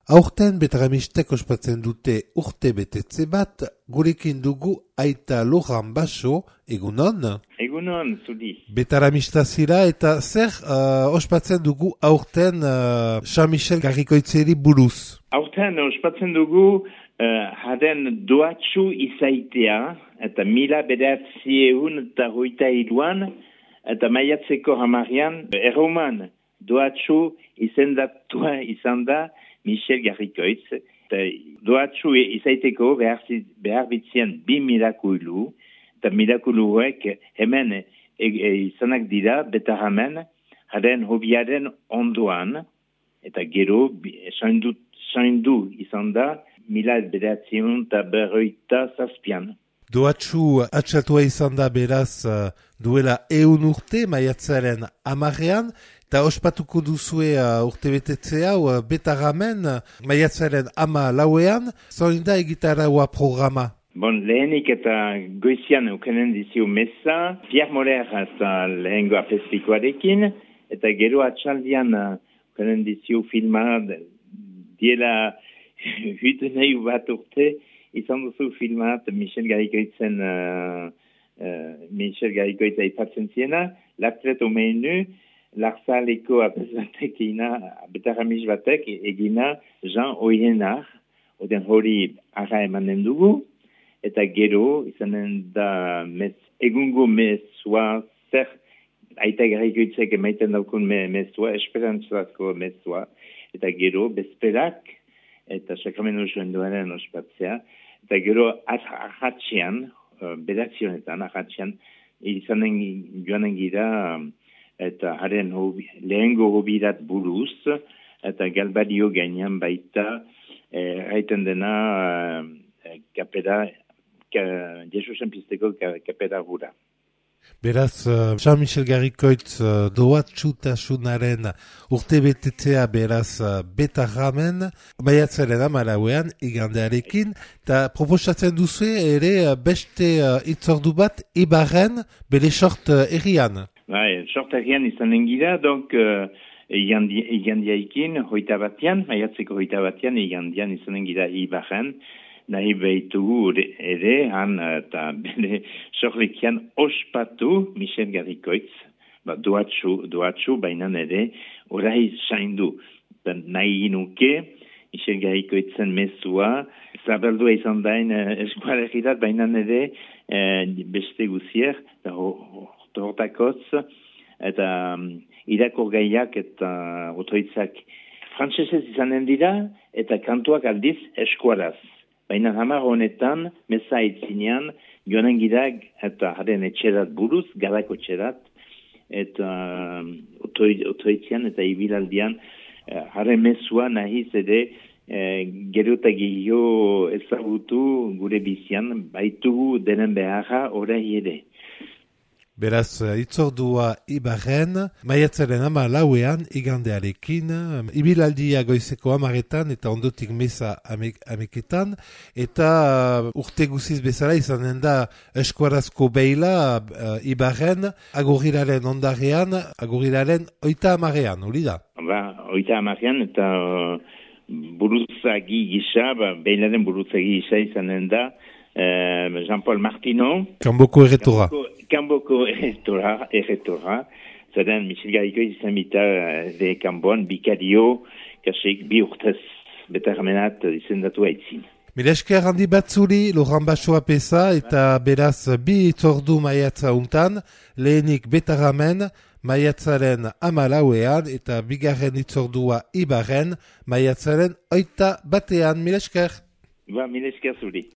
Aurten Betaramistek ospatzen dute urte betetze bat, gurekin dugu aita Loran Baso, egunon? Egunon, zudi. Betaramista zira eta zer ospatzen dugu aurten Jean-Michel Garrikoitzeri buruz? Aurten ospatzen dugu haren doatxu izaitea, eta 1923 eta maiatzeko hamarian, erroman doatxu izendatua izan da Michel Garrikoitz. Doatxu izaiteko behar bitzien 2 mirakulu, eta mirakuluek hemen izanak dira Betaramen, haren hobiaren ondoan, eta gero saindu izan da 1957. Doatxu atxatua izan da beraz duela 100 urte maiatzaren 10ean, eta ospatuko duzue urte betetzea Betaramen maiatzaren 14ean, zoin da egitaraua programa? Bon, lehenik eta goizian ukenen dizio mesa, Pierre Moller eta lehengo apestikoarekin, eta gero atxaldian ukenen dizio filma diela nahi bat urte, izan duzu filmat Michel Garrikoitz aipatzen ziena, L'Atlet au menu, Larsaleko apesatekina, Betaramis batek egina Jean Oyenar, oden hori ara emanen dugu, eta gero izanen da egungo mesua, zer aita Garrikoitzek emaiten daukun mesua, esperantzazko mesua, eta gero bezperak, eta sakramenu joenduaren ospatzea, eta gero ahatxean, bedazionetan ahatxean, izanen joanen gira, eta haren lehengo hobirat buruz, eta galbario gainean baita, haiten dena kapera, Jesusen pizteko kapera gura. Beraz, Jean-Michel Garrikoitz doatxutasunaren urte betetzea beraz Betaramen, maiatzaren 14ean igandearekin, eta proposatzen duzu ere beste itzordu bat Ibarren bere sort errian. Bai, sort errian izanen gira, donc igandiaikin, maiatzeko 21, igandian izanen gira Ibarren, nahi behitugu ere, han eta bere sorlekian ospatu Michel Garrikoitz, doatxu bainan ere, orai saindu. Nahi nuke, Michel Garrikoitzen mesua, zabaldua izan dain eskualegirat, bainan ere, beste guzier, hortakotz, eta irakor gaiak eta otoitzak frantsesez izanen dira, eta kantuak aldiz eskualaz. Baina hamar honetan, mesa aitzinean, joanen girak eta haren etxerat buruz, garako etxerat, eta otoitzean eta ibilaldian, haren mesua nahiz ere, gero eta gehiago ezagutu gure bizian, baitugu denen beharra orai ere. Beraz, itzordua Ibarren, maiatzaren 14ean igandearekin, ibilaldia goizeko 10etan eta ondotik mesa 11etan, eta urte guziz bezala izanen da eskuarazko beila Ibarren, aguriraren ondarean, aguriraren 30ean, hori da? Ba, 30ean eta buruzagi gisa, beilaren buruzagi gisa izanen da, Jean-Paul Martino. Kanboko erretora. Kanboko erretora. Zaten Michel Garrikoitz izan bita de Kanbon, bikario, kasik bi urtez betaramenat izendatu aitzin. Mila esker handi batzuri, Loran Baso apesa, eta beraz bi itzordu maiatza untan, lehenik Betaramen, maiatzaren 14ean, eta bigarren itzordua Ibarren, maiatzaren 21ean. Mila esker. Mila esker zuri.